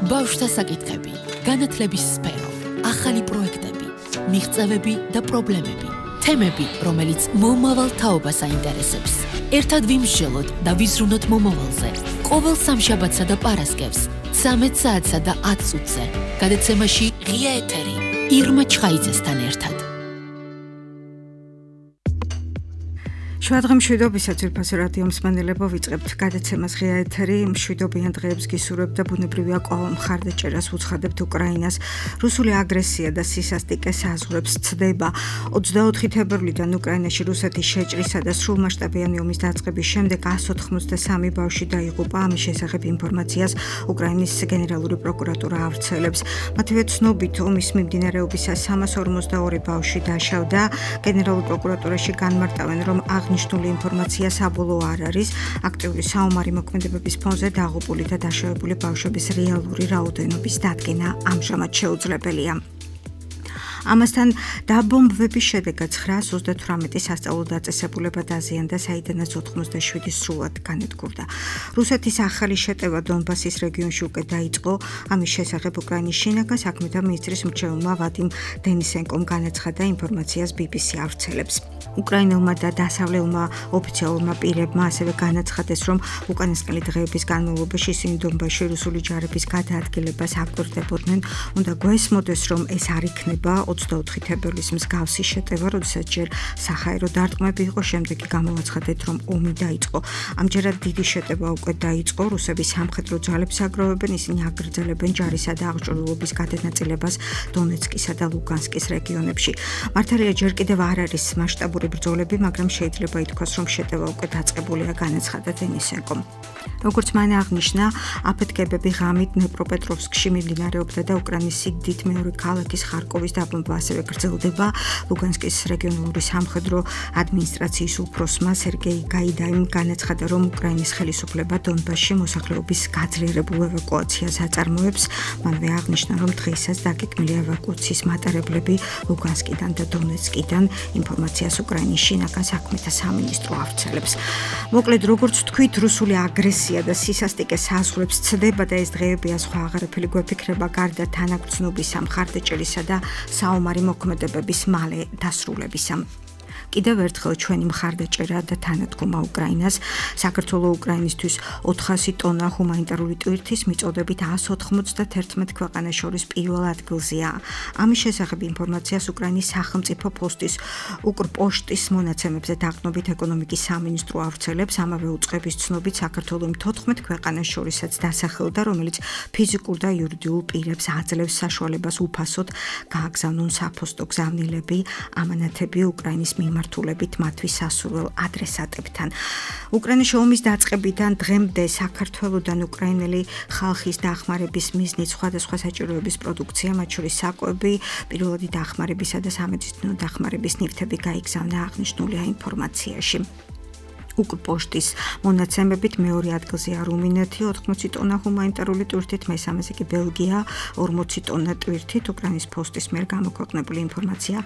ბავშვთა საკითხები, განათლების სფერო, ახალი პროექტები, მიღწევები და პრობლემები, თემები, რომელიც მომავალ თაობას აინტერესებს. ერთად ვიმსჯელოთ და ვიზრუნოთ მომავალზე. ყოველ სამშაბათსა და პარასკევს, 13 საათსა და 10 წუთზე. გადაცემაში ღია ეთერი, ირმა ჩხაიძესთან ერთად. შუადღე მშვიდობისა ძვირფასი რადიო მსმენელებო, ვიწყებთ გადაცემას ღია ეთერი. მშვიდობიან დღეებს გისურვებთ და ბუნებრივია კვლავ მხარდაჭერას უცხადებთ უკრაინას. რუსული აგრესია და სისასტიკე საზღვრებს ცდება. 24 თებერვლიდან უკრაინაში რუსეთის შეჭრისა და სრულმასშტაბიანი ომის დაწყების შემდეგ 183 ბავშვი დაიღუპა. ამის შესახებ ინფორმაციას უკრაინის გენერალური პროკურატურა ავრცელებს. მათივე ცნობით, ომის მიმდინარეობისას 342 ბავშვი დაშავდა. გენერალურ პროკურატურაში განმარტავენ, რომ აღნიშნული ინფორმაცია საბოლოო არ არის. აქტიური საომარი მოქმედებების ფონზე დაღუპული და დაშავებული ბავშვების რეალური რაოდენობის დადგენა ამჟამად შეუძლებელია. ამასთან დაბომბვების შედეგად 938 სასწავლო დაწესებულება დაზიანდა, საიდანაც 87 სრულად განადგურდა. რუსეთის ახალი შეტევა დონბასის რეგიონში უკვე დაიწყო. ამის შესახებ უკრაინის შინაგან საქმეთა მინისტრის მრჩეველმა ვადიმ დენისენკომ განაცხადა, ინფორმაციას BBC ავრცელებს. უკრაინელმა და დასავლელმა ოფიციალურმა პირებმა ასევე განაცხადეს, რომ უკანასკნელი დღეების განმავლობაში ისინი დონბასში რუსული ჯარების გადაადგილებას აკვირდებოდნენ. უნდა გვესმოდეს, რომ ეს არ იქნება 24 თებერვლის მსგავსი შეტევა, როდესაც ჯერ საჰაერო დარტყმები იყო, შემდეგ კი გამოვაცხადეთ, რომ ომი დაიწყო. ამჯერად დიდი შეტევა უკვე დაიწყო. რუსები სამხედრო ძალებს აგროვებენ, ისინი აგრძელებენ ჯარისა და აღჭურვილობის გადანაწილებას დონეცკისა და ლუგანსკის რეგიონებში. მართალია, ჯერ კიდევ არ არის მასშტაბური ბრძოლები, მაგრამ შეიძლება ითქვას, რომ შეტევა უკვე დაწყებულია, განაცხადა დენისენკომ. როგორც მან აღნიშნა, აფეთქებები ღამით დნეპროპეტროვსკში მიმდინარეობდა და უკრაინის სიდიდით მეორე ქალაქის ხარკოვის დაბომბვა ასევე გრძელდება. ლუგანსკის რეგიონალური სამხედრო ადმინისტრაციის უფროსმა სერგეი გაიდაიმ განაცხადა, რომ უკრაინის ხელისუფლება დონბასში მოსახლეობის გაძლიერებულ ევაკუაციას აწარმოებს. მანვე აღნიშნა, რომ დღეისას დაგეგმილია ევაკუაციის მატარებლები ლუგანსკიდან და დონეცკიდან. ინფორმაციას უკრაინის შინაგან საქმეთა სამინისტრო ავრცელებს. მოკლედ, როგორც თქვით, რუსული აგრესია და სისასტიკე საზღვრებს ცდება და ეს დღეებია სხვა აღარაფერი გვეფიქრება გარდა თანაგრძნობისა, მხარდაჭერისა და საომარი მოქმედებების მალე დასრულებისა. კიდევ ერთხელ ჩვენი მხარდაჭერა და თანადგომა უკრაინას. საქართველოს უკრაინისთვის 400 ტონა ჰუმანიტარული ტვირთის მიწოდებით 191 ქვეყანას შორის პირველ ადგილზეა. ამის შესახებ ინფორმაციას უკრაინის სახელმწიფო პოსტის უკრპოშტის მონაცემებზე დაყრდნობით ეკონომიკის სამინისტრო ავრცელებს. ამავე უწყების ცნობით, საქართველოს 14 ქვეყანას შორისაც დასახელდა, რომელიც ფიზიკურ და იურიდიულ პირებს აძლევს საშუალებას უფასოდ გააგზავნონ საფოსტო გზავნილები ამანათები უკრაინის მიმართულებით მათთვის სასურველ ადრესატებთან. უკრაინაში ომის დაწყებიდან დღემდე საქართველოდან უკრაინელი ხალხის დახმარების მიზნით სხვადასხვა საჭიროების პროდუქცია, მათ შორის საკვები, პირველადი დახმარებისა და სამედიცინო დახმარების ნივთები გაიგზავნა, აღნიშნულია ინფორმაციაში. უკრპოშტის მონაცემებით მეორე ადგილზეა რუმინეთი 80 ტონა ჰუმანიტარული ტვირთით, მესამეზე კი ბელგია 40 ტონა ტვირთით. უკრაინის პოსტის მიერ გამოქვეყნებული ინფორმაცია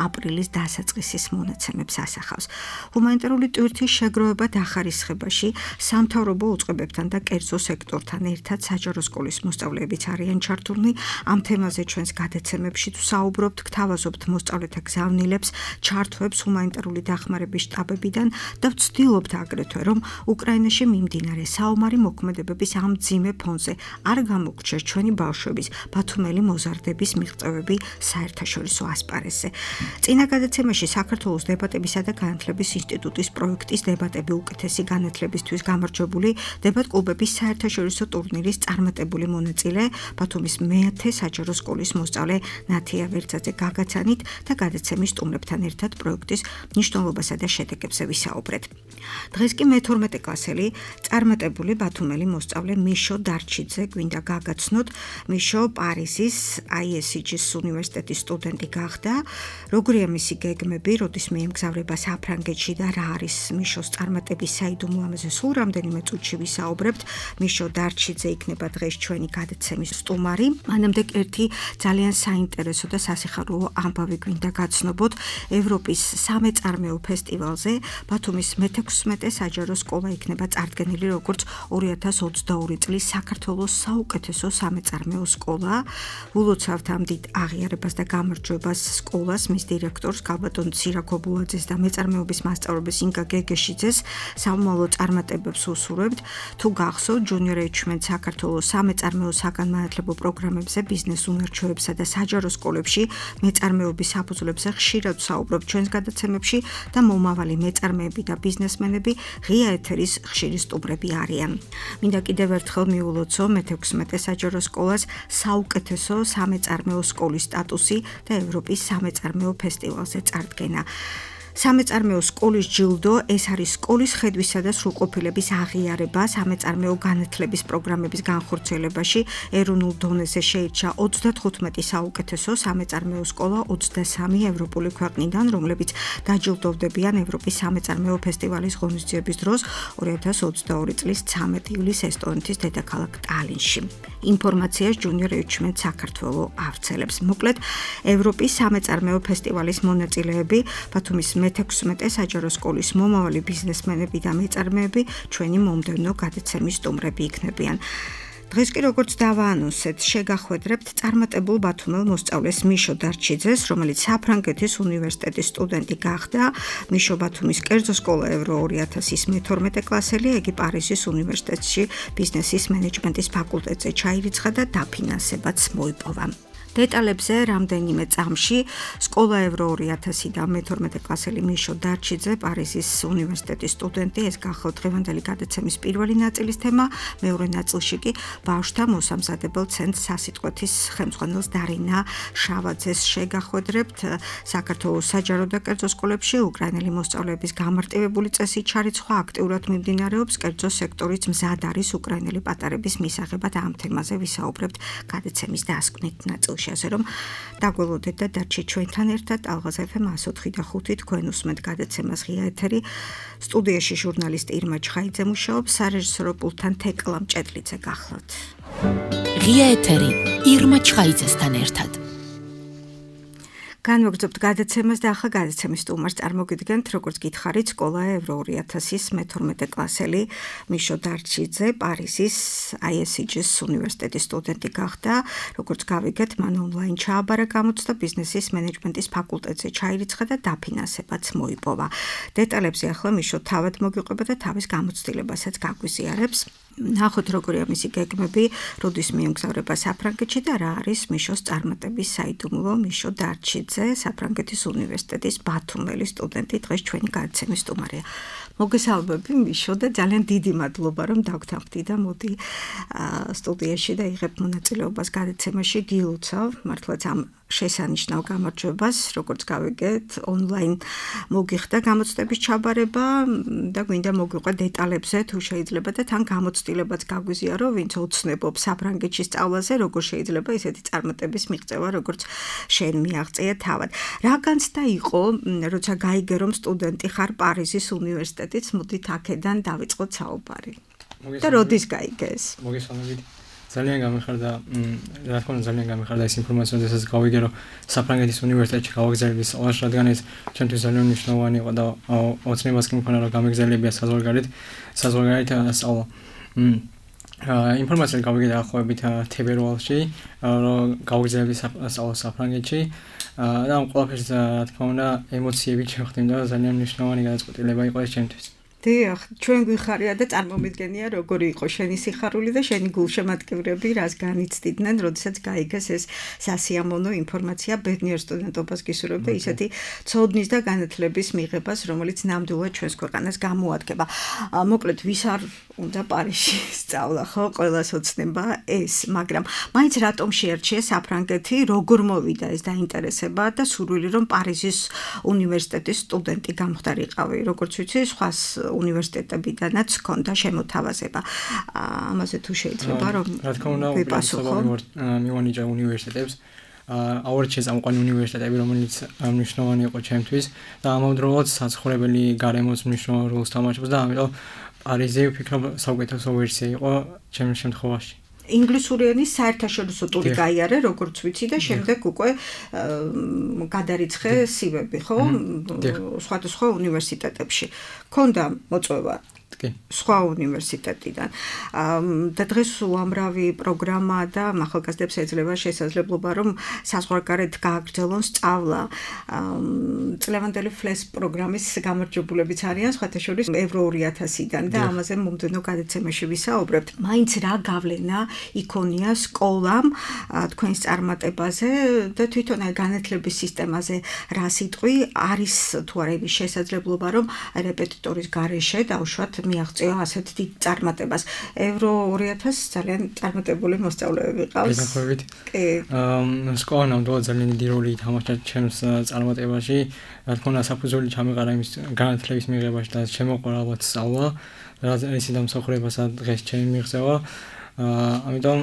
აპრილის დასაწყისის მონაცემებს ასახავს. ჰუმანიტარული ტვირთის შეგროვება დახარისხებაში სამთავრობო უწყებებთან და კერძო სექტორთან ერთად საჯარო სკოლის მოსწავლეებიც არიან ჩართულნი. ამ თემაზე ჩვენს გადაცემებში ვსაუბრობთ, გთავაზობთ მოსწავლეთა გზავნილებს, ჩართვებს ჰუმანიტარული დახმარების შტაბებიდან და ვცდილობთ აგრეთვე, რომ უკრაინაში მიმდინარე საომარი მოქმედებების ამ მძიმე ფონზე არ გამოგრჩეს ჩვენი ბავშვების ბათუმელი მოზარდების მიღწევები საერთაშორისო ასპარეზზე. წინა გადაცემაში საქართველოს დებატებისა და განათლების ინსტიტუტის პროექტის დებატები უკეთესი განათლებისთვის გამარჯვებული დებატ-კლუბების საერთაშორისო ტურნირის წარმატებული მონაწილე ბათუმის მე-10 საჯარო სკოლის მოსწავლე ნათია ვერცაძე გაგაცანით და გადაცემის სტუმრებთან ერთად პროექტის მნიშვნელობასა და შედეგებზე ვისაუბრეთ. დღეს კი მე-12 კლასელი წარმატებული ბათუმელი მოსწავლე მიშო დარჩიძე გვინდა გაგაცნოთ. მიშო პარიზის ISG-ის უნივერსიტეტის სტუდენტი გახდა. როგორია მისი გეგმები, როდის მიემგზავრება საფრანგეთში და რა არის მიშოს წარმატების საიდუმლო, ამაზე სულ რამდენიმე წუთში ვისაუბრებთ. მიშო დარჩიძე იქნება დღეს ჩვენი გადაცემის სტუმარი. მანამდე ერთი ძალიან საინტერესო და სასიხარულო ამბავი გვინდა გაცნობოთ. ევროპის სამეწარმეო ფესტივალზე ბათუმის მე-16 მე-16 საჯარო სკოლა იქნება წარდგენილი როგორც 2022 წლის საქართველოს საუკეთესო სამეწარმეო სკოლა. ულოცავთ ამ დიდ აღიარებას და გამარჯვებას სკოლას, მის დირექტორს გალბატონ ცირაკობულაძეს და მეწარმეობის მასწავლებელს ინგა გეგეშიძეს სამომავლო წარმატებებს უსურვებთ. თუ გახსოვთ, Junior Achievement საქართველოს სამეწარმეო საგანმანათლებლო პროგრამებზე, ბიზნეს უნარჩვევებსა და საჯარო სკოლებში მეწარმეობის საფუძვლებზე ხშირად ვსაუბრობთ ჩვენს გადაცემებში და მომავალი მეწარმეები და ბიზნესმენები ღია ეთერის ხშირი სტუმრები არიან. მინდა კიდევ ერთხელ მიულოცო მე-16 საჯარო სკოლას საუკეთესო სამეწარმეო სკოლის სტატუსი და ევროპის სამეწარმეო ფესტივალზე წარდგენა. სამეწარმეო სკოლის ჯილდო ეს არის სკოლის ხედვისა და სრულყოფილების აღიარება სამეწარმეო განათლების პროგრამების განხორციელებაში. ეროვნულ დონეზე შეირჩა 35 საუკეთესო სამეწარმეო სკოლა 23 ევროპული ქვეყნიდან, რომლებიც დაჯილდოვდებიან ევროპის სამეწარმეო ფესტივალის ღონისძიების დროს 2022 წლის 13 ივლისს ესტონეთის დედაქალაქ ტალინში. ინფორმაციას Junior Achievement საქართველოს ავრცელებს. მოკლედ, ევროპის სამეწარმეო ფესტივალის მონაწილეები, ბათუმის მე-16 საჯარო სკოლის მომავალი ბიზნესმენები და მეწარმეები ჩვენი მომდევნო გადაცემის სტუმრები იქნებიან. დღეს კი როგორც დავაანონსეთ, შეგახვედრებთ წარმატებულ ბათუმელ მოსწავლეს მიშო დარჩიძეს, რომელიც საფრანგეთის უნივერსიტეტის სტუდენტი გახდა. მიშო ბათუმის კერძო სკოლა ევრო 2000-ის მე-12 კლასელი, იგი პარიზის უნივერსიტეტში ბიზნესის მენეჯმენტის ფაკულტეტზე ჩაირიცხა და დაფინანსებაც მოიპოვა. დეტალებზე რამდენიმე წამში სკოლა ევრო 2000 და მე-12 კლასელი მიშო დარჩიძე, პარიზის უნივერსიტეტის სტუდენტი, ეს გახლავთ დღევანდელი გადაცემის პირველი ნაწილის თემა. მეორე ნაწილში კი ბავშვთა მოსამზადებელ ცენტრ სასიტყვეთის ხელმძღვანელს დარინა შავაძეს შეგახვედრებთ. საქართველოს საჯარო და კერძო სკოლებში უკრაინელი მოსწავლეების გამარტივებული წესით ჩარიცხვა აქტიურად მიმდინარეობს. კერძო სექტორიც მზად არის უკრაინელი პატარების მისაღებად. ამ თემაზე ვისაუბრებთ გადაცემის დასკვნით ნაწილში. ასე რომ დაგველოდეთ და დარჩით ჩვენთან ერთად. ალღაზ FM 104.5 თქვენ უსმენთ გადაცემას ღია ეთერი. სტუდიაში ჟურნალისტი ირმა ჩხაიძე მუშაობს, სარეჟისორო პულტთან თეკლა მჭედლიძე გახლავთ. ღია ეთერი ირმა ჩხაიძესთან ერთად. განვაგრძობთ გადაცემას და ახლა გადაცემის სტუმარს წარმოგიდგენთ, როგორც გითხარით, სკოლა ევრო 2000-ის მე-12 კლასელი მიშო დარჩიძე, პარიზის ISG-ის უნივერსიტეტის სტუდენტი გახდა. როგორც გავიგეთ, მან ონლაინ ჩააბარა გამოცდა, ბიზნესის მენეჯმენტის ფაკულტეტზე ჩაირიცხა და დაფინანსებაც მოიპოვა. დეტალებზე ახლა მიშო თავად მოგიყვება და თავის გამოცდილებასაც გაგვიზიარებს. ნახოთ როგორია მისი გეგმები, როდის მიემგზავრება საფრანგეთში და რა არის მიშოს წარმატების საიდუმლო. მიშო დარჩიძე, საფრანგეთის უნივერსიტეტის ბათუმელი სტუდენტი, დღეს ჩვენი გადაცემის სტუმარია. მოგესალმები მიშო და ძალიან დიდი მადლობა რომ დაგთანხმდი და მოდი სტუდიაში და იღებ მონაწილეობას გადაცემაში. გილოცავ მართლაც ამ შესანიშნავ გამარჯვებას, როგორც გავიგეთ, ონლაინ მოგიხდა გამოცდების ჩაბარება და გვინდა მოგიყვე დეტალებზე თუ შეიძლება და თან გამოცდილებაც გაგვიზიარო, ვინც ოცნებობს საფრანგეთში სწავლაზე, როგორ შეიძლება ესეთი წარმატების მიღწევა, როგორც შენ მიაღწია თავად. რა განცდა იყო, როცა გაიგე რომ სტუდენტი ხარ პარიზის უნივერსიტეტից, მოდით აქედან დავიწყოთ საუბარი. და როდის გაიგე ეს? მოგესალმებით. ძალიან გამიხარდა, რა თქმა უნდა, ძალიან გამიხარდა ეს ინფორმაცია, როდესაც გავიგე, რომ საფრანგეთის უნივერსიტეტში გავაგზავნეს სწავლაში, რადგან ეს ჩემთვის ძალიან მნიშვნელოვანი იყო და ოცნებას კი მქონდა, რომ გამეგზავნებია საზღვარგარეთ სწავლა. ინფორმაცია გავიგე დაახლოებით თებერვალში, რომ გავაგზავნები სწავლა საფრანგეთში და ამ ყველაფერს, რა თქმა უნდა, ემოციები შეხვდები და ძალიან მნიშვნელოვანი გადაწყვეტილება იყო ეს ჩემთვის. დიახ, ჩვენ გვიხარია და წარმომიდგენია როგორი იყო შენი სიხარული და შენი გულშემატკივრები, რას განიცდიდნენ, როდესაც გაიგეს ეს სასიამოვნო ინფორმაცია. ბედნიერ სტუდენტობას გისურვებ და ისეთი ცოდნის და განათლების მიღებას, რომელიც ნამდვილად ჩვენს ქვეყანას გამოადგება. მოკლედ, ვის არ უნდა პარიზში სწავლა, ხო, ყველას ოცნება ეს, მაგრამ მაინც რატომ შეერჩია საფრანგეთი, როგორ მოვიდა ეს დაინტერესება და სურვილი რომ პარიზის უნივერსიტეტის სტუდენტი გამხდარიყავი, როგორც ვიცი, სხვა უნივერსიტეტებიდანაც ჰქონდა შემოთავაზება. ამაზე თუ შეიძლება რომ რა თქმა უნდა, მივანიჭა უნივერსიტეტებს. აურჩეს ამყვანი უნივერსიტეტები, რომელიც მნიშვნელოვანი იყო ჩემთვის და ამავდროულად საცხოვრებელი გარემოს მნიშვნელოვან როლს თამაშობს და ამიტომ პარიზი ვფიქრობ საუკეთესო ვერსია იყო ჩემს შემთხვევაში. ინგლისური ენის საერთაშორისო ტური გაიარე, როგორც ვიცი და შემდეგ უკვე გადარიცხე CV-ები, ხო? სხვადასხვა უნივერსიტეტებში. ჰქონდა მოწვევა სხვა უნივერსიტეტიდან. და დღეს უამრავი პროგრამა და ახალგაზრდებს ეძლევა შესაძლებლობა რომ საზღვარგარეთ გააგრძელონ სწავლა. წლევანდელი FLES პროგრამის გამარჯვებულებიც არიან სხვათა შორის Euro 2000-დან და ამაზე მომდევნო გადაცემაში ვისაუბრებთ. მაინც რა გავლენა იქონია სკოლამ თქვენს წარმატებაზე და თვითონ განათლების სისტემაზე რა სიტყვი არის თუ არა იმის შესაძლებლობა რომ რეპეტიტორის გარეშე დავუშვათ მიაღწია ასეთ დიდ წარმატებას. Euro 2000 ძალიან წარმატებული მოსწავლეები ყავს. კი. სკოლა ნამდვილად ძალიან დიდი როლი ითამაშა ჩემს წარმატებაში. რა თქმა უნდა, საფუძველი ჩამეყარა იმის განათლების მიღებაში და შემოყვარა ალბათ სწავლა, რაც ისე დამსახურებასა დღეს ჩემი მიღწევა. ამიტომ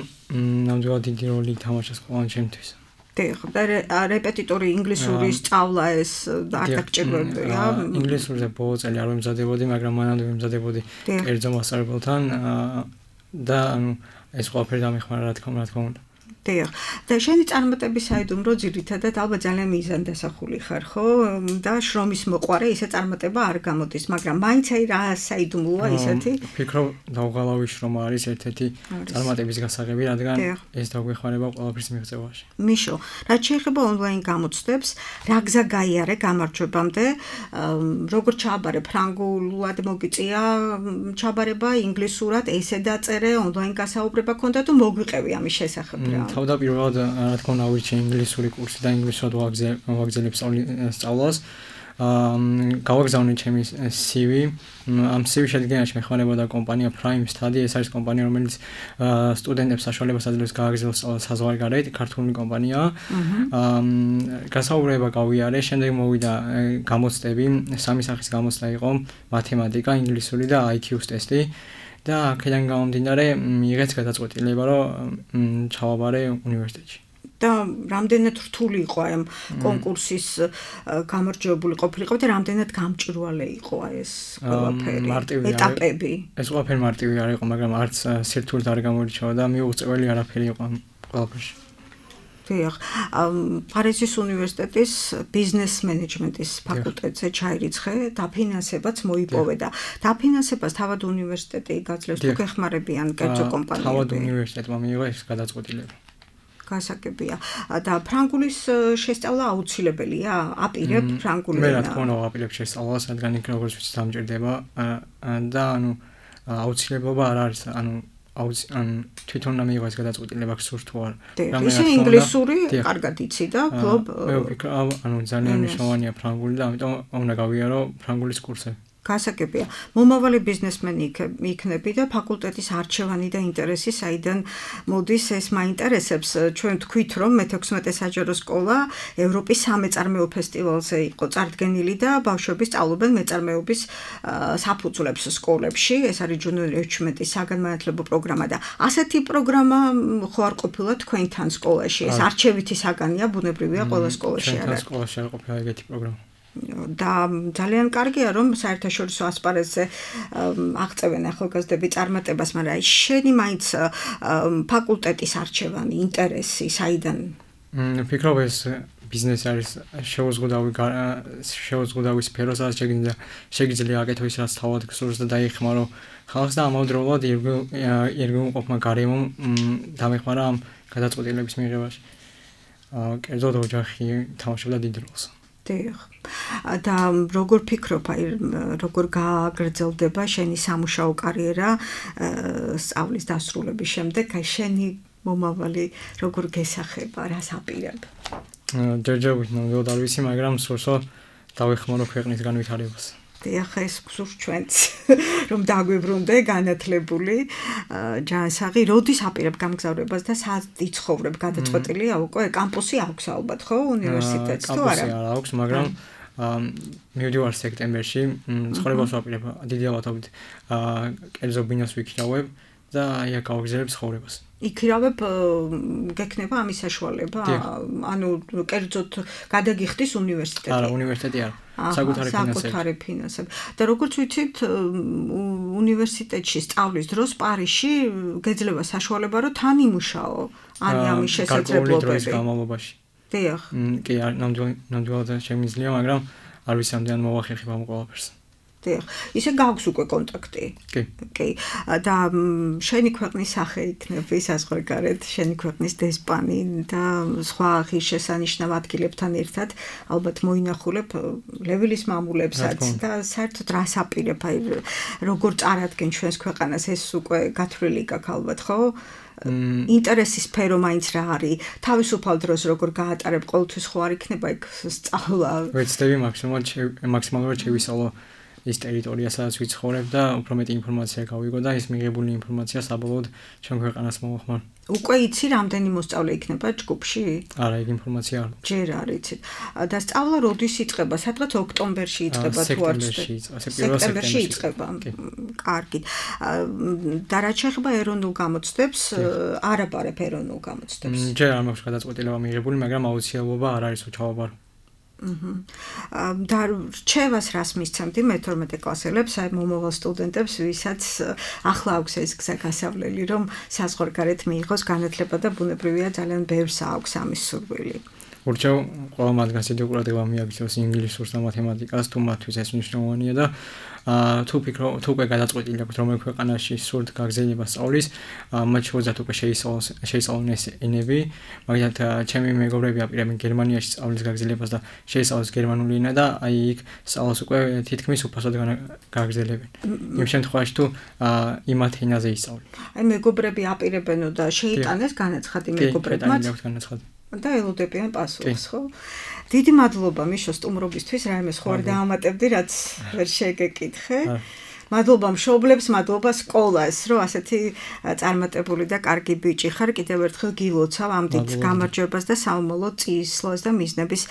ნამდვილად დიდი როლი ითამაშა სკოლა ჩემთვის. და რეპეტიტორი ინგლისური სწავლა ეს არ დაგჭირვებია. ინგლისურზე ბოლო წელი არ ვემზადებოდი, მაგრამ მანამდე ვემზადებოდი კერძო მასწავლებელთან და ეს ყველაფერი დამეხმარა რა თქმა უნდა. და შენი წარმატების საიდუმლო ძირითადად ალბათ ძალიან მიზანდასახული ხარ, ხო? და შრომის მოყვარე ისე წარმატება არ გამოდის, მაგრამ მაინც რა საიდუმლოა ისეთი? ვფიქრობ, დაუღალავი შრომა არის ერთ-ერთი წარმატების გასაღები, რადგან ეს დაგვეხმარება ყველაფრის მიღწევაში. მიშო, რაც შეეხება ონლაინ გამოცდებს, რა გზა გაიარე გამარჯვებამდე, როგორ ჩააბარე ფრანგულად მოგიწია ჩაბარება, ინგლისურად ესე დაწერე, ონლაინ გასაუბრება ქონდა თუ მოგვიყევი ამის შესახებ რა? თავდაპირველად რა თქმა უნდა ავირჩიე ინგლისური კურსი და ინგლისურად ვაგრძელებ სწავლას. გავაგზავნე ჩემი CV. ამ CV შედგენაში მეხმარებოდა კომპანია Prime Study. ეს არის კომპანია, რომელიც სტუდენტებს საშუალებას აძლევს გააგრძელოს სწავლა საზღვარგარეთ, ქართული კომპანიაა. გასაუბრება გავიარე, შემდეგ მოვიდა გამოცდები, სამი სახის გამოცდა იყო: მათემატიკა, ინგლისური და IQ-ს ტესტი. და აქედან გამომდინარე მიიღეს გადაწყვეტილება, რომ ჩავაბარე უნივერსიტეტში. და რამდენად რთული იყო ამ კონკურსის გამარჯვებული ყოფილიყო და რამდენად გამჭვირვალე იყო ეს ყველაფერი ეტაპები? ეს ყველაფერი მარტივი არ იყო, მაგრამ არც სირთულე არ გამოირჩევა და მიუღწეველი არაფერი იყო ამ ყველაფერში. პარიზის უნივერსიტეტის ბიზნეს მენეჯმენტის ფაკულტეტზე ჩაირიცხე, დაფინანსებაც მოიპოვე და დაფინანსებას თავად უნივერსიტეტი გაძლევს თუ გეხმარებიან კერძო კომპანიები? თავად უნივერსიტეტმა მიიღო ეს გადაწყვეტილება. გასაგებია. და ფრანგულის შესწავლა აუცილებელია? აპირებ ფრანგული ენა? მე რა თქმა უნდა ვაპირებ შესწავლას, რადგან იქ როგორც ვიცი დამჭირდება და აუცილებლობა არ არის, თვითონ უნდა მიიღო ეს გადაწყვეტილება გსურს თუ არა. ისე ინგლისური კარგად იცი და ფლობ. მე ვფიქრობ, ძალიან მნიშვნელოვანია ფრანგული და ამიტომ უნდა გავიარო ფრანგულის კურსები. გასაგებია. მომავალი ბიზნესმენი იქნები და ფაკულტეტის არჩევანი და ინტერესი საიდან მოდის, ეს მაინტერესებს. ჩვენ თქვით, რომ მე-16 საჯარო სკოლა ევროპის სამეწარმეო ფესტივალზე იყო წარდგენილი და ბავშვები სწავლობენ მეწარმეობის საფუძვლებს სკოლებში. ეს არის junior achievement-ის საგანმანათლებლო პროგრამა და ასეთი პროგრამა ხო არ ყოფილა თქვენთან სკოლაში? ეს არჩევითი საგანია, ბუნებრივია ყველა სკოლაში არა. თქვენ სკოლაში არ ყოფილა ეგეთი პროგრამა. და ძალიან კარგია რომ საერთაშორისო ასპარეზზე აღწევენ ახალგაზრდები წარმატებას, მაგრამ აი შენი მაინც ფაკულტეტის არჩევანი, ინტერესი საიდან? ვფიქრობ ეს ბიზნესი არის შეუზღუდავი სფერო, სადაც შეგიძლია აკეთო ის რაც თავად გსურს და დაიხმარო ხალხს და ამავდროულად ირგვლივმყოფმა გარემომ დამეხმარა ამ გადაწყვეტილების მიღებაში. კერძოდ ოჯახი თამაშობდა დიდ როლს. და როგორ ფიქრობ, აი როგორ გააგრძელდება შენი სამუშაო კარიერა სწავლის დასრულების შემდეგ, აი შენი მომავალი როგორ გესახება, რას აპირებ? ჯერჯერობით ნამდვილად არ ვიცი, მაგრამ სურსო დავეხმარო ქვეყნის განვითარებას. ახლა ეს გსურს ჩვენც რომ დაგვიბრუნდე განათლებული ჯანსაღი, როდის აპირებ გამგზავრებას და სად იცხოვრებ? გადაწყვეტილია უკვე? კამპუსი აქვს ალბათ, ხო, უნივერსიტეტს თუ არა? კამპუსი არ აქვს, მაგრამ მივდივარ სექტემბერში, ცხოვრებას ვაპირებ დიდი ალბათობით კერძო ბინას ვიქირავებ და იქ გავაგზავნებ ცხოვრებას. იქირავებ გექნება ამის საშუალება? ანუ კერძოდ გადაგიხდის უნივერსიტეტი? არა, უნივერსიტეტი არა. საკუთარი ფინანსები. და როგორც ვიცით, უნივერსიტეტში სწავლის დროს პარიზში გეძლევა საშუალება, რომ თან იმუშაო. არის ამის შესაძლებლობები? გამალობაში. დიახ. კი, ნამდვილად შემიძლია, მაგრამ არ ვიცი ამდენ მოვახერხებ ამ ყველაფერს. დიახ. ისე გაქვს უკვე კონტაქტი. კი. და შენი ქვეყნის სახე იქნება საზღვარგარეთ, შენი ქვეყნის დესპანი და სხვა ღირსშესანიშნავ ადგილებთან ერთად ალბათ მოინახულებ ლევილის მამულებსაც და საერთოდ რას აპირებ, აი როგორ წარადგენ ჩვენს ქვეყანას, ეს უკვე გათვლილი გაქვს ალბათ, ხო? ინტერესის სფერო მაინც რა არის? თავისუფალ დროს როგორ გაატარებ, ყოველთვის ხო არ იქნება იქ სწავლა? ვეცდები მაქსიმალურად შევისწავლო ის ტერიტორია, სადაც ვიცხოვრებ და უფრო მეტი ინფორმაცია გავიგო და ის მიღებული ინფორმაცია საბოლოოდ ჩვენ ქვეყანას მოვახმარ. უკვე იცი რამდენი მოსწავლე იქნება ჯგუფში? არა, ეგ ინფორმაცია არ მაქვს. ჯერ არ იცით. და სწავლა როდის იწყება? სადღაც ოქტომბერში იწყება თუ არ ვცდები? სექტემბერში იწყება. კარგი. და რაც შეეხება ეროვნულ გამოცდებს, არ აბარებ ეროვნულ გამოცდებს. ჯერ არ მაქვს გადაწყვეტილება მიღებული, მაგრამ აუცილებლობა არ არის ჩავაბარო. და რჩევას რას მისცემდი მე-12 კლასელებს, აი მომავალ სტუდენტებს, ვისაც ახლა აქვს ეს გზა გასავლელი, რომ საზღვარგარეთ მიიღოს განათლება და ბუნებრივია ძალიან ბევრს აქვს ამის სურვილი. ურჩევ ყველა მათგანს დიდი ყურადღება მიაქცევს ინგლისურს და მათემატიკას, თუ მათთვის ეს მნიშვნელოვანია და თუ უკვე გადაწყვეტილი აქვთ რომელ ქვეყანაში სურთ გაგზავნება სწავლის, მათ შორის უკვე შეისწავლონ ეს ენები, მაგალითად ჩემი მეგობრები აპირებენ გერმანიაში სწავლის გაგზავნებას და შეისწავლოს გერმანული ენა და აი იქ სწავლას უკვე თითქმის უფასოდ გაგზავნებენ. იმ შემთხვევაში თუ იმათ ენაზე ისწავლენ. აი მეგობრები აპირებენო და შეიტანეს განაცხადი მეგობრებმაც. და ელოდებიან პასუხს, ხო? დიდი მადლობა მიშო სტუმრობისთვის, რაიმე სხვა არ დაამატებდი, რაც ვერ შეგეკითხე. მადლობა მშობლებს, მადლობა სკოლას, რომ ასეთი წარმატებული და კარგი ბიჭი ხარ. კიდევ ერთხელ გილოცავ ამ დიდ გამარჯვებას და საომალო წისვლას და მიზნების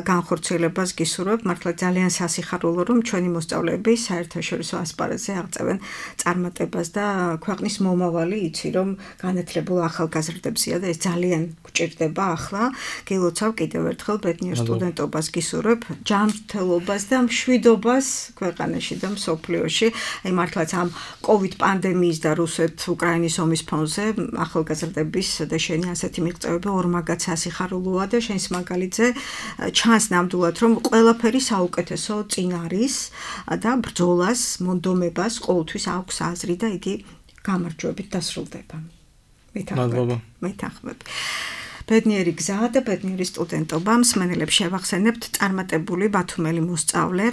განხორციელებას გისურვებ. მართლა ძალიან სასიხარულო, რომ ჩვენი მოსწავლეები საერთაშორისო ასპარეზზე აღწევენ წარმატებას და ქვეყნის მომავალი იცი, რომ განათლებულ ახალგაზრდებია და ეს ძალიან გვჭირდება ახლა. გილოცავ კიდევ ერთხელ ბედნიერ სტუდენტობას გისურვებ, ჯანმრთელობას და მშვიდობას ქვეყანაში და მსოფლიოში. აი მართლაც ამ COVID პანდემიის და რუსეთ-უკრაინის ომის ფონზე ახალგაზრდების და შენი ასეთი მიღწევები ორმაგად სასიხარულოა და შენს მაგალითზე ჩანს ნამდვილად რომ ყველაფერი საუკეთესო წინ არის და ბრძოლას, მონდომებას ყოველთვის აქვს აზრი და იგი გამარჯვებით დასრულდება. მეთანხმებ. ბედნიერი გზა და ბედნიერი სტუდენტობა. მსმენელებს შევახსენებთ წარმატებული ბათუმელი მოსწავლე,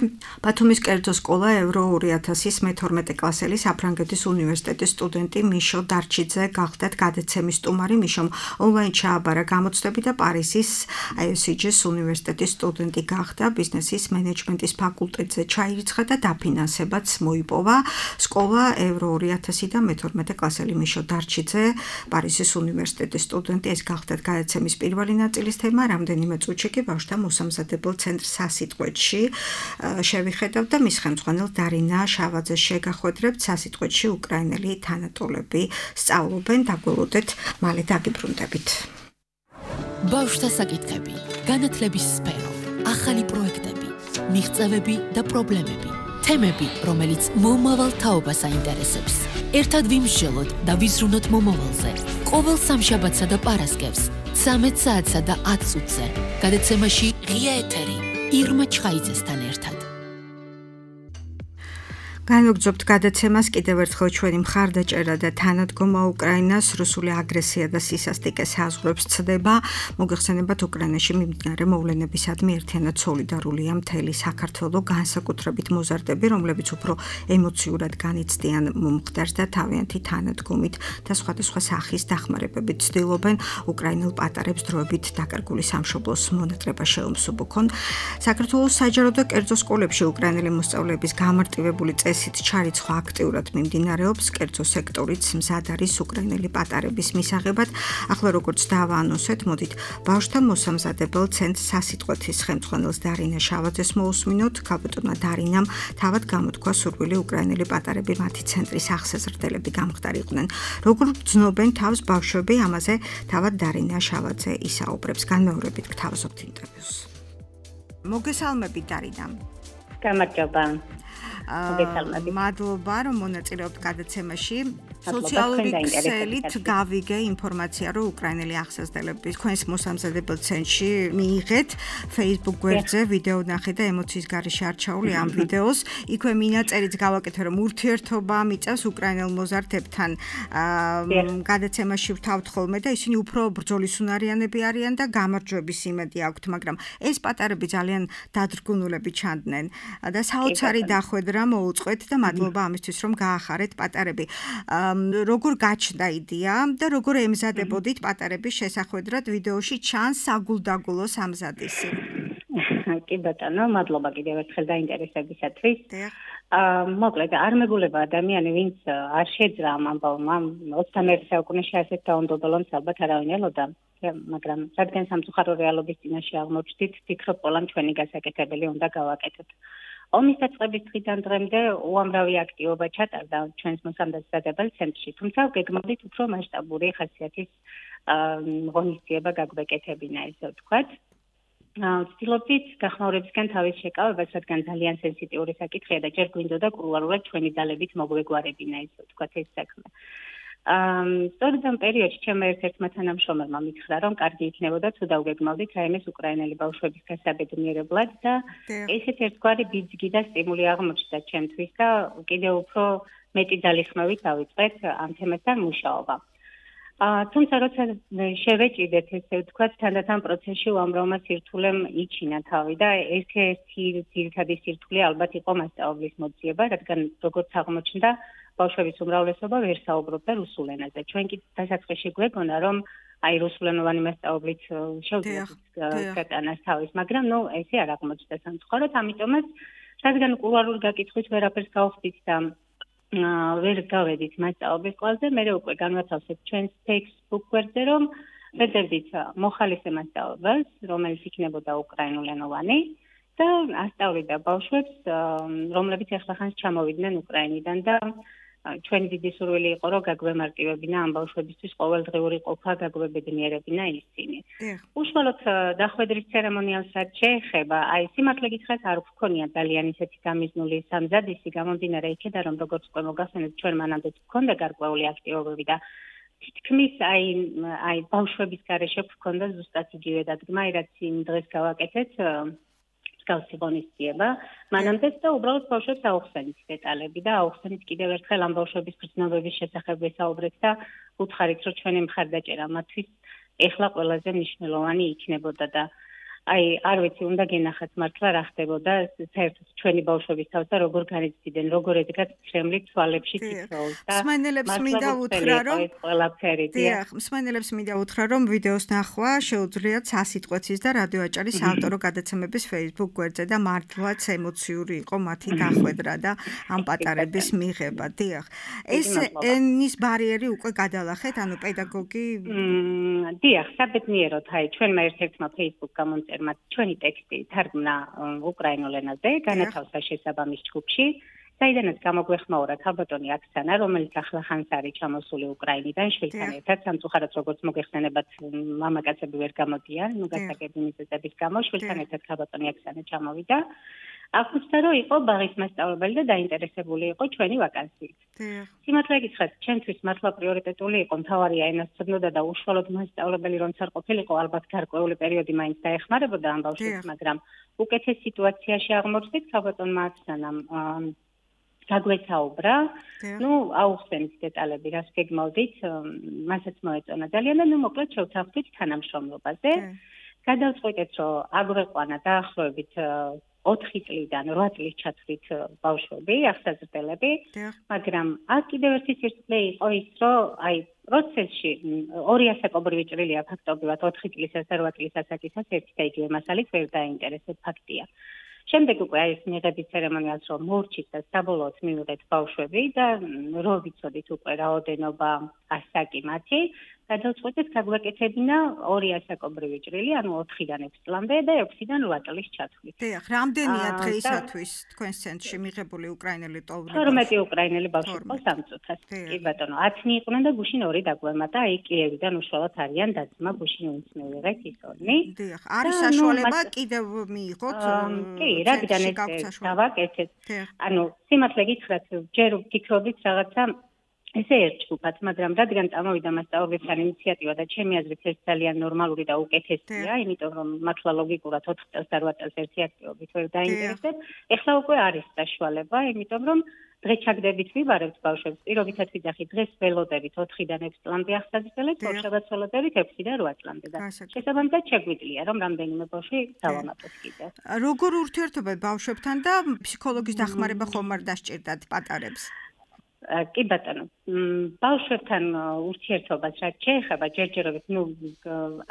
ბათუმის კერძო სკოლა ევრო 2000-ის მე-12 კლასელი საფრანგეთის უნივერსიტეტის სტუდენტი მიშო დარჩიძე გახდათ გადაცემის სტუმარი. მიშომ ონლაინ ჩააბარა გამოცდები და პარიზის ISG-ის უნივერსიტეტის სტუდენტი გახდა. ბიზნესის მენეჯმენტის ფაკულტეტზე ჩაირიცხა და დაფინანსებაც მოიპოვა. სკოლა ევრო 2000 და მე-12 კლასელი მიშო დარჩიძე პარიზის უნივერსიტეტის სტუდენტი. ეს გახდათ გადაცემის პირველი ნაწილის თემა. რამდენიმე წუთში კი ბავშვთა მოსამზადებელ ცენტრ სასიტყვეთში შევიხედავთ და მის ხელმძღვანელ დარინა შავაძეს შეგახვედრებთ. სასიტყვეთში უკრაინელი თანატოლები სწავლობენ. დაგველოდეთ, მალე დაგიბრუნდებით. ბავშვთა საკითხები, განათლების სფერო, ახალი პროექტები, მიღწევები და პრობლემები, თემები, რომელიც მომავალ თაობას აინტერესებს. ერთად ვიმსჯელოთ და ვიზრუნოთ მომავალზე. ყოველ სამშაბათსა და პარასკევს 13 საათსა და 10 წუთზე. გადაცემაში ღია ეთერი ირმა ჩხაიძესთან ერთად. განვაგრძობთ გადაცემას კიდევ ერთხელ ჩვენი მხარდაჭერა და თანადგომა უკრაინას რუსული აგრესია და სისასტიკე საზღვრებს ცდება. მოგეხსენებათ უკრაინაში მიმდინარე მოვლენებისადმი ერთიანად სოლიდარულია მთელი საქართველო, განსაკუთრებით მოზარდები, რომლებიც უფრო ემოციურად განიცდიან მომხდარს და თავიანთი თანადგომით და სხვადასხვა სახის დახმარებებით ცდილობენ უკრაინელ პატარებს დროებით დაკარგული სამშობლოს მონატრება შეუმსუბუქონ. საქართველოს საჯარო და კერძო სკოლებში უკრაინელი მოსწავლეების გამარტივებული წესით ჩარიცხვა აქტიურად მიმდინარეობს. კერძო სექტორიც მზად არის უკრაინელი პატარების მისაღებად. ახლა როგორც დავაანონსეთ, მოდით ბავშვთა მოსამზადებელ ცენტრ სასიტყვეთის ხელმძღვანელს დარინა შავაძეს მოусმინოთ. ქალბატონმა დარინამ თავად გამოთქვა სურვილი უკრაინელი პატარები მათი ცენტრის აღსაზრდელები გამხდარიყვნენ. როგორ ბრძნობენ თავს ბავშვები, ამაზე თავად დარინა შავაძე ისაუბრებს. განმეორებით გთავაზობთ ინტერვიუს. მოგესალმებით დარინა. გამარჯობა. მადლობა რომ მონაწილეობთ გადაცემაში. სოციალური ქსელით გავიგე ინფორმაცია, რომ უკრაინელი აღსაზრდელების თქვენს მოსამზადებელ ცენტრში მიიღეთ Facebook გვერდზე ვიდეო ნახე და ემოციის გარეშე არჩეული ამ ვიდეოს. იქვე მინაწერიც გავაკეთე, რომ ურთიერთობა მიწევს უკრაინელ მოზარდებთან. გადაცემაში ვთავთ ხოლმე და ისინი უფრო ბრძოლისუნარიანები არიან და გამარჯვების იმედი აქვთ, მაგრამ ეს პატარები ძალიან დადრგუნულები ჩანდნენ და საოცარი დახვედრა მოუწყვეთ და მადლობა ამისთვის, რომ გაახარეთ პატარები. როგორ გაჩნდა იდეა და როგორ ემზადებოდით პატარების შესახვედრად ვიდეოში ჩანს საგულდაგულო სამზადისი. კი ბატონო, მადლობა კიდევ ერთხელ დაინტერესებისათვის. მოკლედ, არ მეგულება ადამიანი, ვინც არ შეძრა ამ ამბავმა 21 საუკუნეში ასეთ დაუნდობელონს ალბათ არავინ ელოდა, მაგრამ რადგან სამწუხარო რეალობის წინაშე აღმოჩნდით, ვფიქრობ, ყველამ ჩვენი გასაკეთებელი უნდა გავაკეთოთ. ომის დაწყების დღიდან დღემდე უამრავი აქტივობა ჩატარდა ჩვენს მოსამზადებელ ცენტრში, თუმცა გეგმავდით უფრო მასშტაბური ხასიათის ღონისძიება გაგვეკეთებინა, ესე ვთქვათ. ვცდილობდით გახმაურებისგან თავის შეკავებას, რადგან ძალიან სენსიტიური საკითხია და ჯერ გვინდოდა კულუარულად ჩვენი ძალებით მოგვეგვარებინა, ესე ვთქვათ, ეს საქმე. სწორედ ამ პერიოდში ჩემმა ერთ-ერთმა თანამშრომელმა მითხრა, რომ კარგი იქნებოდა თუ დავგეგმავდით რაიმეს უკრაინელი ბავშვების გასაბედნიერებლად და ესეთ ერთგვარი ბიძგი და სტიმული აღმოჩნდა ჩემთვის და კიდევ უფრო მეტი ძალისხმევით დავიწყეთ ამ თემასთან მუშაობა. თუმცა როცა შევეჭიდეთ, ესე ვთქვათ, თანდათან პროცესში უამრავმა სირთულემ იჩინა თავი და ერთ-ერთი ძირითადი სირთულე ალბათ იყო მასწავლებლის მოძიება, რადგან როგორც აღმოჩნდა, ბავშვების უმრავლესობა ვერ საუბრობდა რუსულ ენაზე. ჩვენ კი დასაწყისში გვეგონა, რომ აი რუსულენოვანი მასწავლებლით შეუძლია გატანას თავის, მაგრამ ესე არ აღმოჩნდა სამწუხაროდ, ამიტომაც რადგან კულუარული გაკითხვით ვერაფერს გავხდით და ვერ გავედით მასწავლებლის ყველაზე, მე უკვე განვათავსეთ ჩვენს Facebook გვერდზე, რომ ვეძებდით მოხალისე მასწავლებელს, რომელიც იქნებოდა უკრაინულენოვანი და ასწავლიდა ბავშვებს, რომლებიც ახლახანს ჩამოვიდნენ უკრაინიდან და ჩვენი დიდი სურვილი იყო, რომ გაგვემარტივებინა ამ ბავშვებისთვის ყოველდღიური ყოფა, გაგვებედნიერებინა ისინი. უშუალოდ დახვედრის ცერემონიალსაც შეეხება, აი სიმართლე გითხრათ, არ გვქონია ძალიან ისეთი გამიზნული სამზადისი, გამომდინარე იქედან, რომ როგორც უკვე მოგახსენეთ, ჩვენ მანამდე გვქონდა გარკვეული აქტივობები და თითქმის აი ბავშვების გარეშე გვქონდა ზუსტად იგივე დადგმა, რაც იმ დღეს გავაკეთეთ. მსგავსი ღონისძიება, მანამდეც და უბრალოდ ბავშვებს აუხსენით დეტალები და აუხსენით კიდევ ერთხელ ამ ბავშვების გრძნობების შესახებ ვესაუბრეთ და უთხარით, რომ ჩვენი მხარდაჭერა მათთვის ეხლა ყველაზე მნიშვნელოვანი იქნებოდა და აი არ ვიცი, უნდა გენახათ მართლა რა ხდებოდა საერთოდ ჩვენი ბავშვების თავს და როგორ განიცდიდნენ, როგორ ედგათ ცრემლით თვალებში თითოეულს და მსმენელებს მინდა უთხრა, რომ ყველაფერი მსმენელებს მინდა უთხრა, რომ ვიდეოს ნახვა შეუძლიათ 100 სიტყვეთის და რადიო აჭარის საავტორო გადაცემების Facebook გვერდზე და მართლაც ემოციური იყო მათი დახვედრა და ამ პატარების მიღება. დიახ. ეს ენის ბარიერი უკვე გადალახეთ, ანუ პედაგოგი დიახ, საბედნიეროდ, აი ჩვენმა ერთ-ერთმა Facebook გამომწერმა ჩვენი ტექსტი თარგმნა უკრაინულ ენაზე, განათავსა შესაბამის ჯგუფში, საიდანაც გამოგვეხმაურა ქალბატონი აქსანა, რომელიც ახლახანს არის ჩამოსული უკრაინიდან შვილთან ერთად, სამწუხაროდ როგორც მოგეხსენებათ, მამაკაცები ვერ გამოდიან, გასაგები მიზეზების გამო, შვილთან ერთად ქალბატონი აქსანა ჩამოვიდა. აღნიშნა, რომ იყო ბაღის მასწავლებელი და დაინტერესებული იყო ჩვენი ვაკანსიით. სიმართლე გითხრათ, ჩემთვის მართლა პრიორიტეტული იყო მთავარია ენას ცოდნოდა და უშუალოდ მასწავლებელი რომც არ ყოფილიყო, ალბათ გარკვეული პერიოდი მაინც დაეხმარებოდა ამ ბავშვებს, მაგრამ უკეთეს სიტუაციაში აღმოჩნდით ქალბატონმა აქსანამ გაგვესაუბრა, აუხსენით დეტალები, რას გეგმავდით, მასაც მოეწონა ძალიან და მოკლედ შევთანხმდით თანამშრომლობაზე. გადავწყვიტეთ, რომ აგვეყვანა დაახლოებით 4 წლიდან 8 წლის ჩათვლით ბავშვები, აღსაზრდელები, მაგრამ აქ კიდევ ერთი სირთულე იყო ის, რომ აი პროცესში ორი ასაკობრივი ჭრილია ფაქტობრივად 4 წლისას და 8 წლის ასაკისას ერთი და იგივე მასალით ვერ დაინტერესებს ფაქტია. შემდეგ უკვე აი ეს მიღების ცერემონიალს რომ მორჩით და საბოლოოდ მივიღეთ ბავშვები და რო ვიცოდით უკვე რაოდენობა ასაკი მათი, გადავწყვეტეთ გაგვეკეთებინა 2 ასაკობრივი ჭრილი, ანუ 4-დან 6 წლამდე და 6-დან 8 წლის ჩათვლით. დიახ, რამდენია დღეისათვის თქვენს ცენტრში მიღებული უკრაინელი ტოვები? 12 უკრაინელი ბავშვი ყავს ამ წუთას. კი ბატონო, 10 იყვნენ და გუშინ 2 დაგვემატა, აი კიევიდან უშუალოდ არიან დაძმა, გუშინ ვინც მივიღეთ ის 2. დიახ, არის საშუალება კიდევ მიიღოთ? კი, რადგან ეს დავაკეთეთ. ანუ სიმართლე გითხრათ, ჯერ ვფიქრობდით რაღაცა ესე ერთ ჯგუფად, მაგრამ რადგან წამოვიდა მასწავლებლებთან ინიციატივა და ჩემი აზრით ეს ძალიან ნორმალური და უკეთესია, იმიტომ რომ მართლა ლოგიკურად 4 წელს და 8 წელს ერთი აქტივობით ვერ დაინტერესებს. ეხლა უკვე არის საშუალება, იმიტომ რომ დღეს ჩაგდებით ვიბარებთ ბავშვებს, პირობითად ვიძახით, დღეს ველოდებით 4-დან 6 წლამდე ახსაძებელით, ორშაბათს ველოდებით 6-დან 8 წლამდე და შესაბამისად შეგვიძლია რომ რამდენიმე ბავშვი დავამატოთ კიდევ. როგორ ურთიერთობა ბავშვებთან და ფსიქოლოგის დახმარება ხომ არ დასჭირდათ პატარებს? კი ბატონო, ბავშვებთან ურთიერთობას რაც შეეხება ჯერჯერობით,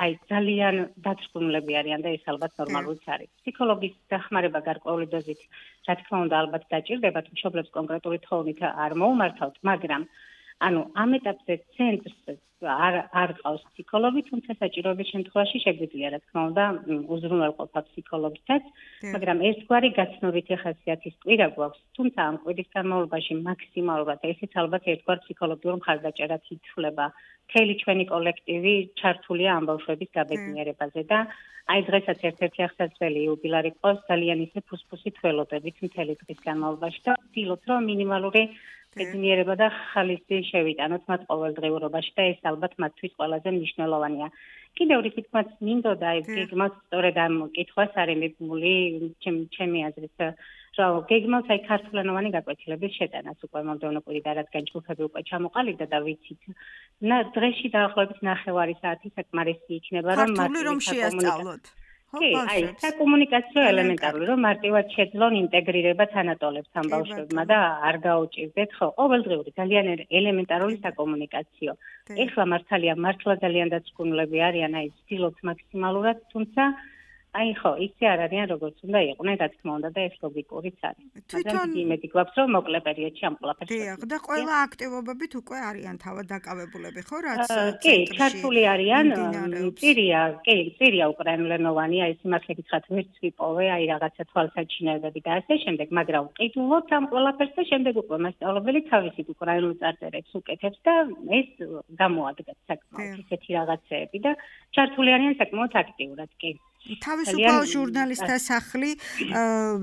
აი ძალიან დაწვრთნილები არიან და ეს ალბათ ნორმალურიც არის. ფსიქოლოგის დახმარება გარკვეული დოზით, რა თქმა უნდა, ალბათ დაჭირდებათ, მშობლებს კონკრეტული თხოვნით არ მოუმართავთ, მაგრამ ანუ ამ ეტაპზე ცენტრს არ ყავს ფსიქოლოგი, თუმცა საჭიროების შემთხვევაში შეგვიძლია, რა თქმა უნდა, უზრუნველყოფა ფსიქოლოგითაც, მაგრამ ერთგვარი გაცნობითი ხასიათის კვირა გვაქვს, თუმცა ამ კვირის განმავლობაში მაქსიმალურად ესეც ალბათ ერთგვარ ფსიქოლოგიურ მხარდაჭერად ითვლება. მთელი ჩვენი კოლექტივი ჩართულია ამ ბავშვების გაბედნიერებაზე და აი დღესაც ერთ-ერთი ახსაძლებელი იუბილარი ყავს, ძალიან ისე ფუსფუსით ველოდებით მთელი დღის განმავლობაში და ვცდილობთ, რომ მინიმალური ბედნიერება და ხალისი შევიტანოთ მათ ყოველდღიურობაში და ეს ალბათ მათთვის ყველაზე მნიშვნელოვანია. კიდევ რითქმაც მინდოდა აი გეგმას სწორედ ამ კითხვას არის მიბმული ჩემი აზრით რომ გეგმას აი ქართულენოვანი გაკვეთილების შეტანას უკვე მომდევნო კვირით რადგან ჯგუფები უკვე ჩამოყალიბდა და ვიცით დღეში დაახლოებით 9 საათი საკმარისი იქნება რომ ქართული რომ შეასწავლოთ. კი, აი, საკომუნიკაციო ელემენტარული, რომ მარტივად შეძლონ ინტეგრირება თანატოლებთან ამ ბავშვებმა და არ გაუჭირდეთ, ხო, ყოველდღიური ძალიან ელემენტარული საკომუნიკაციო. ეხლა მართალია, მართლა ძალიან დაწვრთნილები არიან, აი, ვცდილობთ მაქსიმალურად, თუმცა აი ხო, ისე არ არიან როგორც უნდა იყვნენ, რა თქმა უნდა და ეს ლოგიკურიც არის. მაგრამ იმედი გვაქვს, რომ მოკლე პერიოდში ამ ყველაფერს. დიახ, და ყველა აქტივობებით უკვე არიან თავად დაკავებულები, ხო, რაც კი, ჩართული არიან. წირია უკრაინულენოვანი, აი სიმართლე გითხრათ, ვერც ვიპოვე, აი რაღაცა თვალსაჩინოებები და ასე შემდეგ, მაგრამ ვყიდულობთ ამ ყველაფერს და შემდეგ უკვე მასწავლებელი თავისით უკრაინულ წარწერებს უკეთებს და ეს გამოადგათ საკმაოდ ისეთი რაღაცეები და ჩართული არიან საკმაოდ აქტიურად, კი. თავისუფალ ჟურნალისტთა სახლი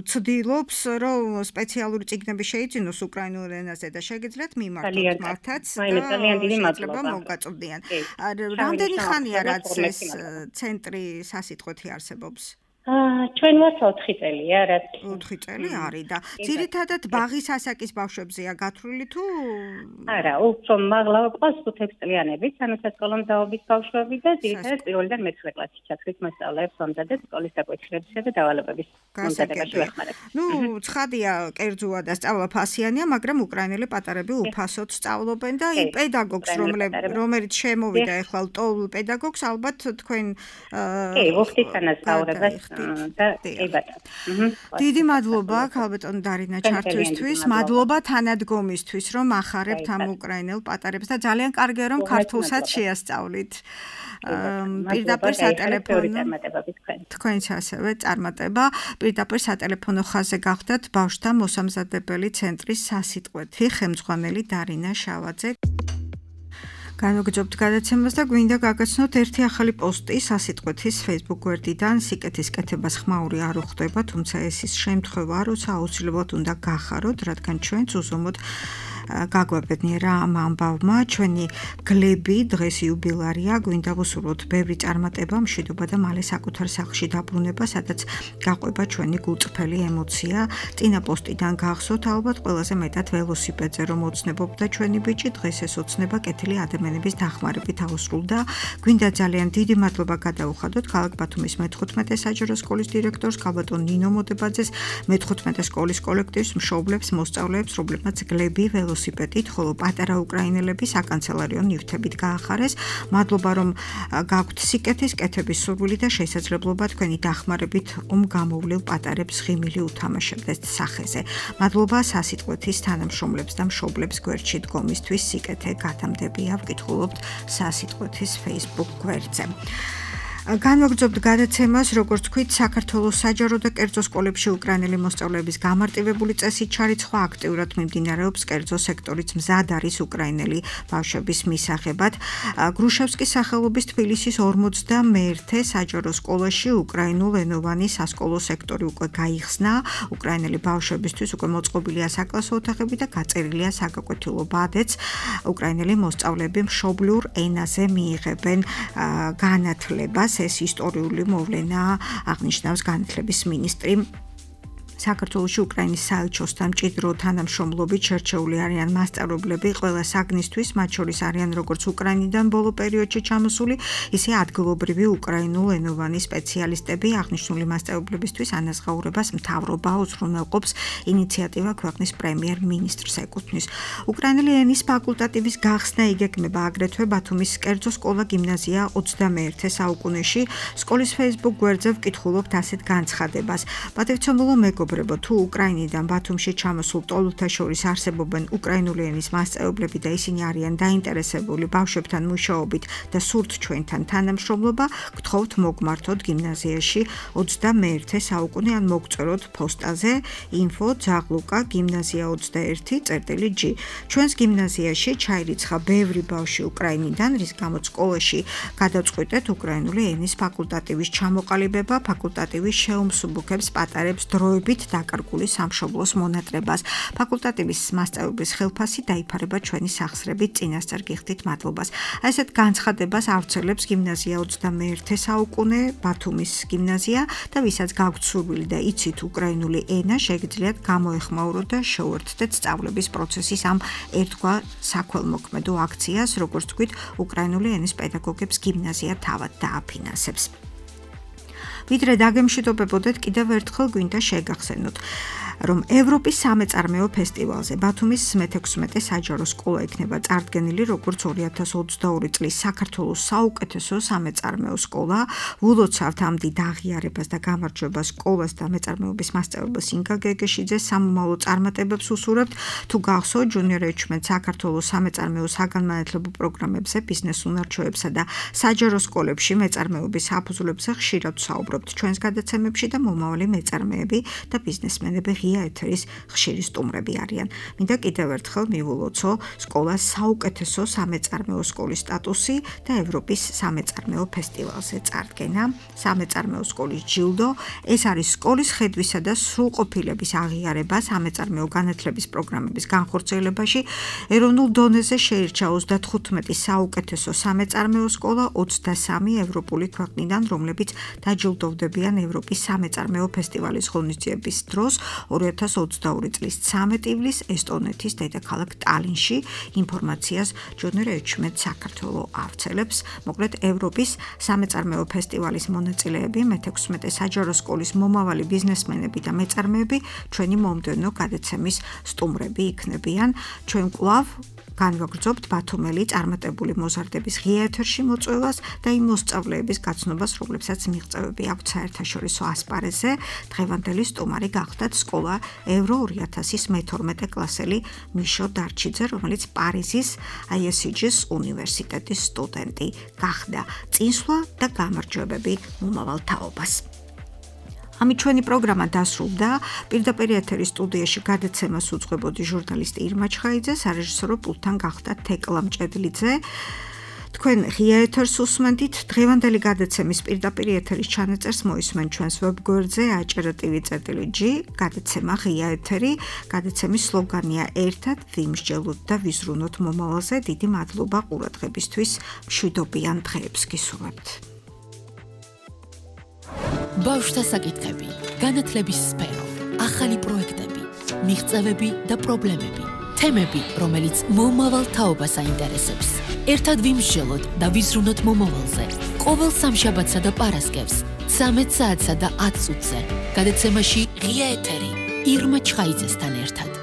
ცდილობს, რომ სპეციალური წიგნები შეიძინოს უკრაინულ ენაზე და შეგიძლიათ მიმართოთ მართაც და შეიძლება მოგაწვდიან. რამდენი ხანია რაც ეს ცენტრი სასიტყვეთი არსებობს? ჩვენ ვართ 4 წელია, რაც 4 წელი არის და ძირითადად ბაღის ასაკის ბავშვებზეა გათვლილი თუ არა, უფრო მაღლა ყავს 5 წლიანების, ანუ სასკოლო მზაობის ბავშვები და ძირითადად პირველიდან მე-9 კლასში ჩათვლით მასწავლებლებს მომზადეთ სკოლის საკვეთილებისა და დავალებების მომზადებაში ვეხმარებთ. ცხადია, კერძოა და სწავლა ფასიანია, მაგრამ უკრაინელი პატარები უფასოდ სწავლობენ და იმ პედაგოგს, რომელიც შემოვიდა ეხლა ლტოლ პედაგოგს, ალბათ თქვენ კი, ვუხდით თანასწორებას დიდი მადლობა ქალბატონ დარინა ჩართვისთვის, მადლობა თანადგომისთვის, რომ ახარებთ ამ უკრაინელ პატარებს და ძალიან კარგია რომ ქართულსაც შეასწავლით. პირდაპირ სატელეფონო თქვენც ასევე წარმატება. პირდაპირ სატელეფონო ხაზზე გახდათ ბავშვთა მოსამზადებელი ცენტრის სასიტყვეთი ხელმძღვანელი დარინა შავაძე. განვაგრძობთ გადაცემას და გვინდა გაგაცნოთ ერთი ახალი პოსტი სასიტყვეთის Facebook გვერდიდან. სიკეთის კეთებას ხმაური არ უხდება, თუმცა ეს ის შემთხვევაა, როცა აუცილებლად უნდა გახაროთ, რადგან ჩვენც უზომოდ გაგვაბედნიერა ამ ამბავმა. ჩვენი გლები დღეს იუბილარია, გვინდა ვუსურვოთ ბევრი წარმატება, მშვიდობა და მალე საკუთარ სახლში დაბრუნება, სადაც გაყვება ჩვენი გულწრფელი ემოცია. წინა პოსტიდან გახსოვთ, ალბათ ყველაზე მეტად ველოსიპედზე რომ ოცნებობდა ჩვენი ბიჭი, დღეს ეს ოცნება კეთილი ადამიანების დახმარებით აუსრულდა. გვინდა ძალიან დიდი მადლობა გადაუხადოთ ქალაქ ბათუმის მე-15 საჯარო სკოლის დირექტორს, ქალბატონ ნინო მოდებაძეს, მე-15 სკოლის კოლექტივს, მშობლებს, მოსწავლეებს, რომლებმაც გლები ველოსიპედით, ხოლო პატარა უკრაინელები საკანცელერიო ნივთებით გაახარეს. მადლობა რომ გაქვთ სიკეთის კეთების სურვილი და შესაძლებლობა თქვენი დახმარებით გამოვლილ პატარებს ღიმილი უთამაშებდეთ სახეზე. მადლობა სასიტყვეთის თანამშრომლებს და მშობლებს გვერდში დგომისთვის. სიკეთე გათამდებია, ვკითხულობთ სასიტყვეთის Facebook გვერდზე. განვაგრძობთ გადაცემას, როგორც თქვით, საქართველოს საჯარო და კერძო სკოლებში უკრაინელი მოსწავლეების გამარტივებული წესით ჩარიცხვა აქტიურად მიმდინარეობს კერძო სექტორიც მზად არის უკრაინელი ბავშვების მისაღებად. გრუშევსკის სახელობის თბილისის 51-ე საჯარო სკოლაში უკრაინულენოვანი სასკოლო სექტორი უკვე გაიხსნა. უკრაინელი ბავშვებისთვის უკვე მოწყობილია საკლასო ოთახები და გაწერილია საგაკვეთილო ბადეც. უკრაინელი მოსწავლეები მშობლიურ ენაზე მიიღებენ განათლებას. ეს ისტორიული მოვლენაა, აღნიშნავს განათლების მინისტრი. საქართველოში უკრაინის საელჩოსთან მჭიდრო თანამშრომლობით შერჩეული არიან მასწავლებლები ყველა საგნისთვის, მათ შორის არიან როგორც უკრაინიდან ბოლო პერიოდში ჩამოსული, ისე ადგილობრივი უკრაინულენოვანი სპეციალისტები. აღნიშნული მასწავლებლებისთვის ანაზღაურებას მთავრობა უზრუნველყოფს. ინიციატივა ქვეყნის პრემიერ-მინისტრს ეკუთვნის. უკრაინელი ენის ფაკულტატივის გახსნა იგეგმება აგრეთვე ბათუმის კერძო სკოლა-გიმნაზია 21-ე საუკუნეში. სკოლის Facebook გვერდზე ვკითხულობთ ასეთ განცხადებას. პატივცემულო მეგობრებო, თუ უკრაინიდან ბათუმში ჩამოსულ ტოლთა შორის არსებობენ უკრაინული ენის მასწავლებლები და ისინი არიან დაინტერესებული ბავშვებთან მუშაობით და სურთ ჩვენთან თანამშრომლობა, გთხოვთ მოგმართოთ გიმნაზიაში 21-ე საუკუნე ან მოგწეროთ პოსტაზე info@zagluka gimnazia 21.g. ჩვენს გიმნაზიაში ჩაირიცხა ბევრი ბავშვი უკრაინიდან, რის გამოც სკოლაში გადაწყვიტეთ უკრაინული ენის ფაკულტატივის ჩამოყალიბება. ფაკულტატივი შეუმსუბუქებს პატარებს დროებით დაკარგული სამშობლოს მონატრებას. ფაკულტატივის მასწავლებლის ხელფასი დაიფარება ჩვენი სახსრებით. წინასწარ გიხდით მადლობას. ასეთ განცხადებას ავრცელებს გიმნაზია 21-ე საუკუნე, ბათუმის გიმნაზია და ვისაც გაქვთ სურვილი და იცით უკრაინული ენა, შეგიძლიათ გამოეხმაუროთ და შეუერთდეთ სწავლების პროცესის ამ ერთგვარ საქველმოქმედო აქციას, როგორც თქვით, უკრაინული ენის პედაგოგებს გიმნაზია თავად დააფინანსებს. ვიდრე დაგემშვიდობებოდეთ, კიდევ ერთხელ გვინდა შეგახსენოთ, რომ ევროპის სამეწარმეო ფესტივალზე ბათუმის 16-ე საჯარო სკოლა იქნება წარდგენილი როგორც 2022 წლის საქართველოს საუკეთესო სამეწარმეო სკოლა. ვილოცავთ ამ დიდ აღიარებას და გამარჯვებას სკოლას და მეწარმეობის მასწავლებელს ინგა გეგეშიძეს. სამომავლო წარმატებებს უსურვებთ. თუ გახსოვთ, ჯუნიორ ეჩმენთ საქართველოს სამეწარმეო საგანმანათლებლო პროგრამებზე, ბიზნეს უნარჩვევებსა და საჯარო სკოლებში მეწარმეობის საფუძვლებზე ხშირად ვსაუბრობთ ჩვენს გადაცემებში და მომავალი მეწარმეები და ბიზნესმენები ეთერის ხშირი სტუმრები არიან. მინდა კიდევ ერთხელ მივულოცო სკოლას საუკეთესო სამეწარმეო სკოლის სტატუსი და ევროპის სამეწარმეო ფესტივალზე წარდგენა. სამეწარმეო სკოლის ჯილდო, ეს არის სკოლის ხედვისა და სრულყოფილების აღიარება სამეწარმეო განათლების პროგრამების განხორციელებაში. ეროვნულ დონეზე შეირჩა 35 საუკეთესო სამეწარმეო სკოლა 23 ევროპული ქვეყნიდან, რომლებიც დაჯილდოვდებიან ევროპის სამეწარმეო ფესტივალის ღონისძიების დროს 2022 წლის 13 ივლისს ესტონეთის დედაქალაქ ტალინში. ინფორმაციას ჯუნიორ ეჩმენთ საქართველოს ავრცელებს. მოკლედ ევროპის სამეწარმეო ფესტივალის მონაწილეები, მე-16 საჯარო სკოლის მომავალი ბიზნესმენები და მეწარმეები ჩვენი მომდევნო გადაცემის სტუმრები იქნებიან. ჩვენ კვლავ განვაგრძობთ ბათუმელი წარმატებული მოზარდების ღია ეთერში მოწვევას და იმ მოსწავლეების გაცნობას, რომლებსაც მიღწევები აქვთ საერთაშორისო ასპარეზზე. დღევანდელი სტუმარი გახდათ სკოლა ევრო 2000-ის მე-12 კლასელი მიშო დარჩიძე, რომელიც პარიზის ISCG-ის უნივერსიტეტის სტუდენტი გახდა. წინსვლა და გამარჯვებები მომავალ თაობას. ამით ჩვენი პროგრამა დასრულდა. პირდაპირ ეთერის სტუდიაში გადაცემას უძღვებოდი ჟურნალისტი ირმა ჩხაიძე, სარეჟისორო პულტთან გახდა თეკლა მჭედლიძე. თქვენ ღია ეთერს უსმენთ. დღევანდელი გადაცემის პირდაპირ ეთერის ჩანაწერს მოისმენთ ჩვენს ვებგვერდზე acer.tv.g. გადაცემა ღია ეთერი. გადაცემის სლოგანია ერთად ვიმსჯელოთ და ვიზრუნოთ მომავალზე. დიდი მადლობა ყურადღებისთვის. მშვიდობიან დღეებს გისურვებთ. ბავშვთა საკითხები, განათლების სფერო, ახალი პროექტები, მიღწევები და პრობლემები, თემები, რომელიც მომავალ თაობას აინტერესებს. ერთად ვიმსჯელოთ და ვიზრუნოთ მომავალზე. ყოველ სამშაბათსა და პარასკევს 13 საათსა და 10 წუთზე. გადაცემაში ღია ეთერი ირმა ჩხაიძესთან ერთად.